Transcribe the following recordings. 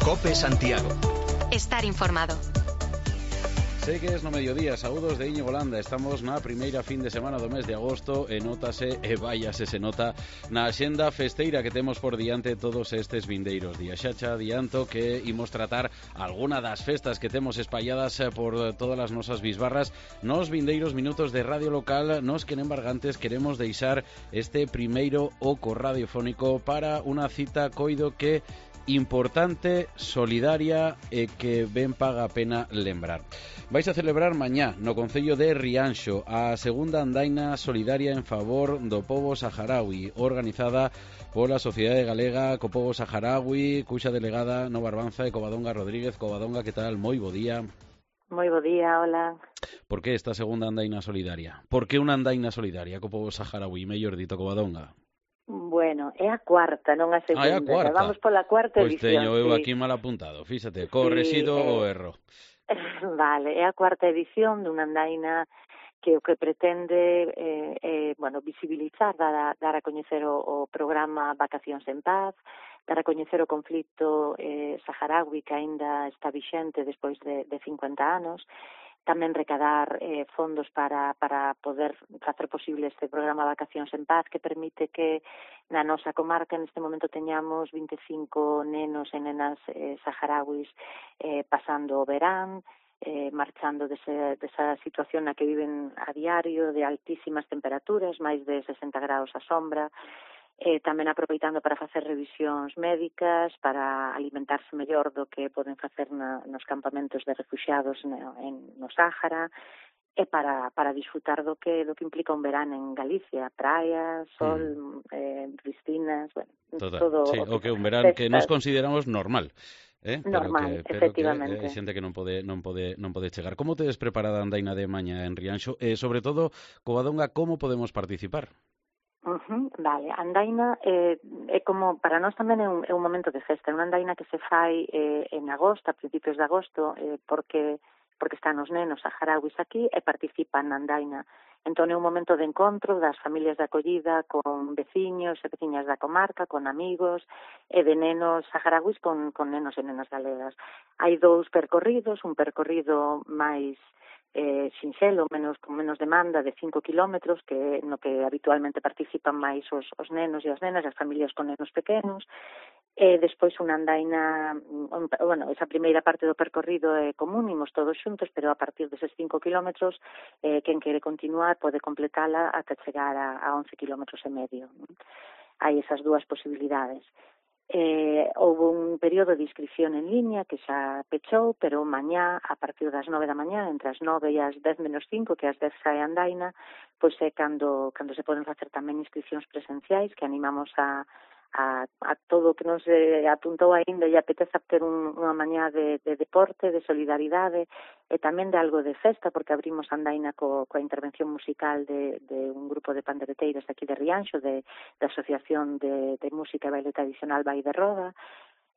COPE Santiago. Estar informado. Sei que es no mediodía, saúdos de Íñigo Landa. Estamos na primeira fin de semana do mes de agosto e nótase, e váiase se nota, na axenda festeira que temos por diante todos estes vindeiros días. Xa adianto que imos tratar alguna das festas que temos espalladas por todas as nosas bisbarras. Nos vindeiros minutos de radio local, nos que nembargantes queremos deixar este primeiro oco radiofónico para unha cita coido que importante, solidaria e que ben paga a pena lembrar. Vais a celebrar mañá no concello de Rianxo a segunda andaina solidaria en favor do pobo saharaui, organizada pola Sociedade Galega co Pobo Saharaui, cuxa delegada no Barbanza e Covadonga Rodríguez. Covadonga, que tal? Moi bo día. Moi bo día, hola. Por que esta segunda andaina solidaria? Por que unha andaina solidaria co pobo saharaui? Mellor dito, Covadonga. Bueno, é a cuarta, non a segunda. É a cuarta. Vamos pola cuarta edición. Pois teño eu sí. aquí mal apuntado, fíxate, correxido o erro. Vale, é a cuarta edición dunha andaina que o que pretende visibilizar, dar a coñecer o programa Vacacións en Paz, dar a coñecer o conflito saharaui que aínda está vixente despois de 50 anos, tamén recadar fondos para poder facer posible este programa Vacacións en Paz, que permite que na nosa comarca neste momento teñamos 25 nenos e nenas saharauis pasando o verán, marchando desa situación na que viven a diario, de altísimas temperaturas, máis de 60 graus a sombra, tamén aproveitando para facer revisións médicas, para alimentarse mellor do que poden facer nos campamentos de refuxiados no Sáhara, e para disfrutar do que implica un verán en Galicia, praia, sol, piscinas, todo. Sí, o que un verán que nos consideramos normal. Normal, pero efectivamente. Que hai xente que non pode chegar. Como tedes preparada a andaina de mañá en Rianxo? E, sobre todo, Covadonga, como podemos participar? Vale, a andaina é como, para nós tamén é un momento de festa, é unha andaina que se fai en agosto, a principios de agosto, porque están os nenos saharauis aquí e participan na andaina. Entón é un momento de encontro das familias de acollida con veciños e veciñas da comarca, con amigos e de nenos saharauis con nenos e nenas galegas. Hai dous percorridos, un percorrido máis sinxelo, con menos demanda, de 5 kilómetros, no que habitualmente participan máis os nenos e as nenas, as familias con nenos pequenos, e despois unha andaina, esa primeira parte do percorrido é común, imos todos xuntos, pero a partir deses 5 kilómetros, quen quere continuar pode completala ata chegar a 11 kilómetros e medio. Hai esas dúas posibilidades. Houve un período de inscripción en línea que xa pechou, pero mañá, a partir das 9 da mañá, entre as 9 e as 10 menos 5, que as 10 sae a andaina, pois é cando se poden facer tamén inscripcións presenciais, que animamos a todo o que nos apuntou aínda e apeteza ter unha mañá de deporte, de solidaridade e tamén de algo de festa, porque abrimos a andaina coa intervención musical de un grupo de pandereteiros aquí de Rianxo, da Asociación de Música e Baile Tradicional Vai de Roda.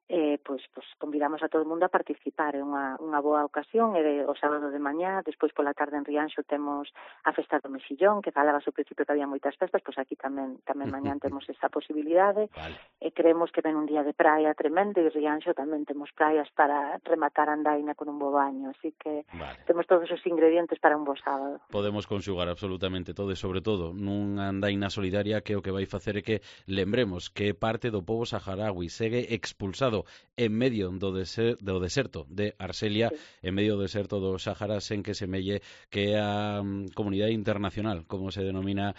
Pois convidamos a todo o mundo a participar, é unha boa ocasión, e o sábado de mañá, despois pola tarde en Rianxo temos a festa do Mexillón, que falabas ao principio que había moitas festas, pois aquí tamén mañá temos esa posibilidade, vale. E creemos que ven un día de praia tremendo, e Rianxo tamén temos praias para rematar a andaina con un bo baño, así que vale. Temos todos os ingredientes para un bo sábado. Podemos conxugar absolutamente todo, e sobre todo nunha andaina solidaria que o que vai facer é que lembremos que parte do pobo saharaui segue expulsado en medio do deserto de Arxelia, sí. En medio do deserto do Sáhara, sen que semelle que a comunidade internacional, como se denomina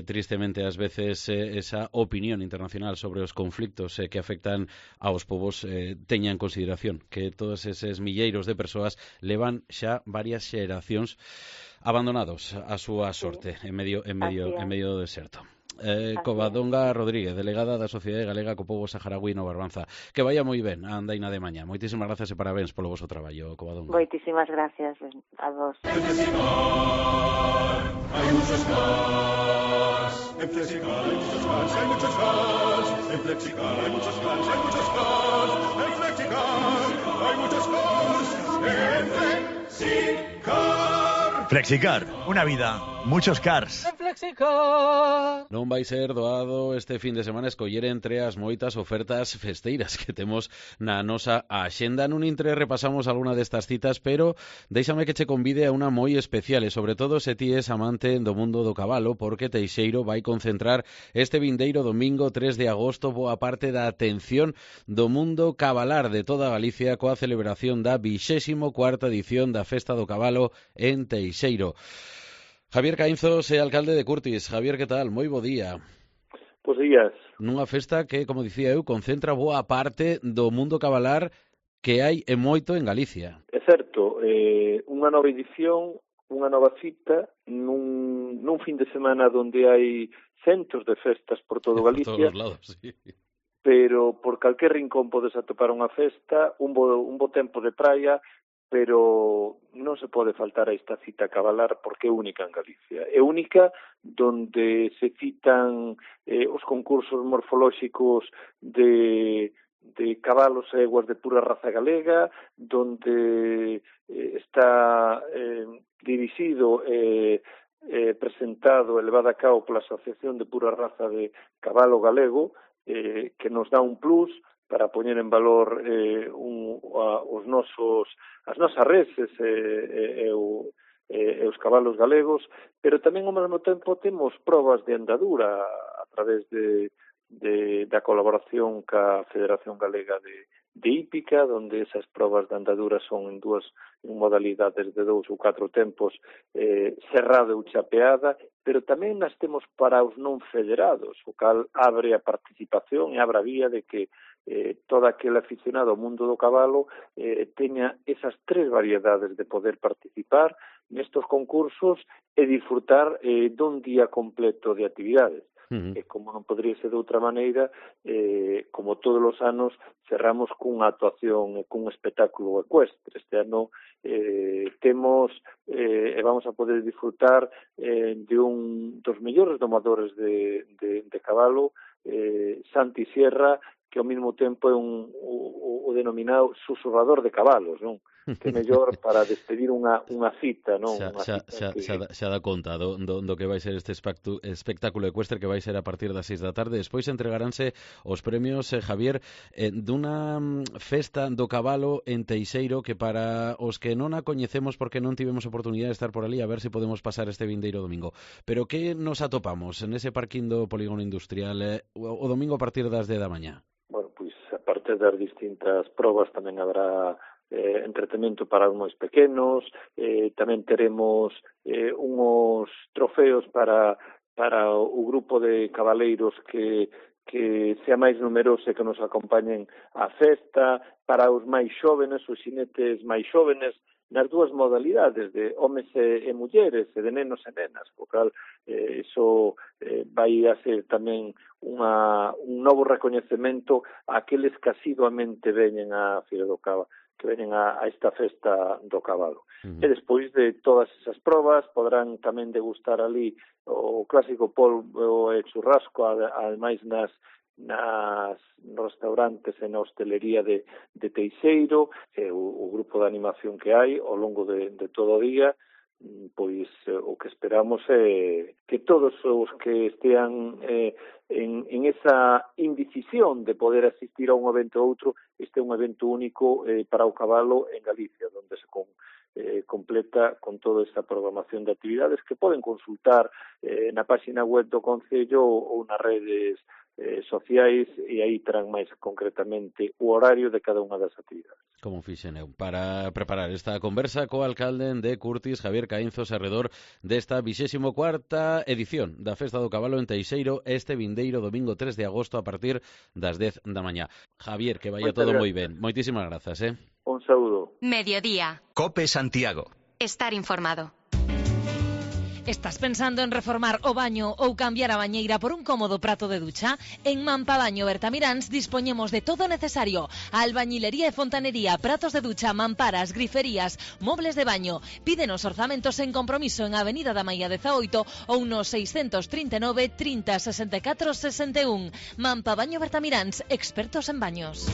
tristemente ás veces esa opinión internacional sobre os conflictos que afectan aos povos, teña en consideración que todos eses milleiros de persoas levan xa varias xeracións abandonados a súa sorte, sí. en medio do deserto. Covadonga Rodríguez, delegada da Sociedade Galega co Pobo Saharaui no Barbanza. Que vaya moi ben a andaina de mañá. Moitísimas grazas e parabéns polo voso traballo, Covadonga. Moitísimas gracias a vos. Hay muchos cars. En Flexicar hay muchos cars, hay muchos cars. En Flexicar hay muchos cars, hay muchos cars. En Flexicar hay muchos cars. En Flexicar. Flexicar, una vida, muchos cars. Flexicar. Non vai ser doado este fin de semana escoller entre as moitas ofertas festeiras que temos na nosa axenda. Nun intre repasamos alguna destas citas, pero déixame que che convide a unha moi especial e sobre todo se ti es amante do mundo do cabalo, porque Teixeiro vai concentrar este vindeiro domingo 3 de agosto boa parte da atención do mundo cabalar de toda Galicia coa celebración da 24ª edición da Festa do Cabalo en Teixeiro. Javier Caínzos é alcalde de Curtis. Javier, que tal? Moi bo día. Bos días. Nunha festa que, como dicía eu, concentra boa parte do mundo cabalar que hai e moito en Galicia. É certo, unha nova edición, unha nova cita nun fin de semana onde hai centos de festas por todo Galicia. Por todos os lados, sí. Pero por calquer rincón podes atopar unha festa, un bo tempo de praia, pero non se pode faltar a esta cita cabalar porque é única en Galicia. É única donde se citan os concursos morfolóxicos de cabalos e eguas de pura raza galega, donde está dirixido presentado e levado a cabo pola Asociación de Pura Raza de Cabalo Galego, que nos dá un plus para poñer en valor as nosas reses e os cabalos galegos, pero tamén ao mesmo tempo temos probas de andadura a través da colaboración ca Federación Galega de Hípica, donde esas probas de andadura son en modalidades de 2 ou 4 tempos, cerrada ou chapeada, pero tamén nas temos para os non federados, o cal abre a participación e abre a vía de que todo aquel aficionado ao mundo do cabalo teña esas 3 variedades de poder participar nestos concursos e disfrutar dun día completo de actividades. E como non podría ser de outra maneira, como todos os anos, cerramos cunha actuación e cun espectáculo ecuestre. Este ano temos e vamos a poder disfrutar de un dos mellores domadores de cabalo, Santi Sierra, que ao mesmo tempo é o denominado susurrador de cabalos, non? Que é mellor para despedir unha cita, non? Xa dá conta do que vai ser este espectáculo ecuestre que vai ser a partir das 6 da tarde. Despois entregaránse os premios, Javier, dunha festa do cabalo en Teixeiro que para os que non a coñecemos porque non tivemos oportunidade de estar por ali, a ver se podemos pasar este vindeiro domingo. Pero que nos atopamos en ese parquín do Polígono Industrial o domingo a partir das 10 da mañá? Bueno, pois a parte das distintas probas tamén habrá entretenimento para os máis pequenos, tamén teremos unhos trofeos para o grupo de cabaleiros que sea máis numeroso e que nos acompañen á festa, para os máis xóvenes, os xinetes máis xóvenes, nas 2 modalidades de homes e mulleres, e de nenos e nenas, o cal iso vai a ser tamén un novo recoñecemento a aqueles que asiduamente veñen á Feira do Cabo, que veñen a esta festa do cabalo. E despois de todas esas probas poderán tamén degustar ali o clásico polvo e churrasco, ademais nos restaurantes e na hostelería de Teixeiro, o grupo de animación que hai ao longo de todo o día. Pois o que esperamos é que todos os que estean en esa indecisión de poder asistir a un evento ou outro, este é un evento único para o cabalo en Galicia, onde se completa con toda esta programación de actividades que poden consultar na página web do Concello ou nas redes sociais, e aí terán máis concretamente o horario de cada unha das actividades. Como fixen eu para preparar esta conversa co alcalde de Curtis, Javier Caínzos, arredor desta 24ª edición da Festa do Cabalo en Teixeiro este vindeiro domingo 3 de agosto a partir das 10 da mañá. Javier, que vaya todo moi ben. Moitísimas grazas, Un saúdo. Mediodía. COPE Santiago. Estar informado. Estás pensando en reformar o baño ou cambiar a bañeira por un cómodo prato de ducha? En Mampabaño Bertamiráns dispoñemos de todo o necesario: albañilería e fontanería, pratos de ducha, mamparas, griferías, mobles de baño. Pídenos orzamentos sen compromiso en Avenida da Maía 18 ou no 639 30 64 61. Mampabaño Bertamiráns, expertos en baños.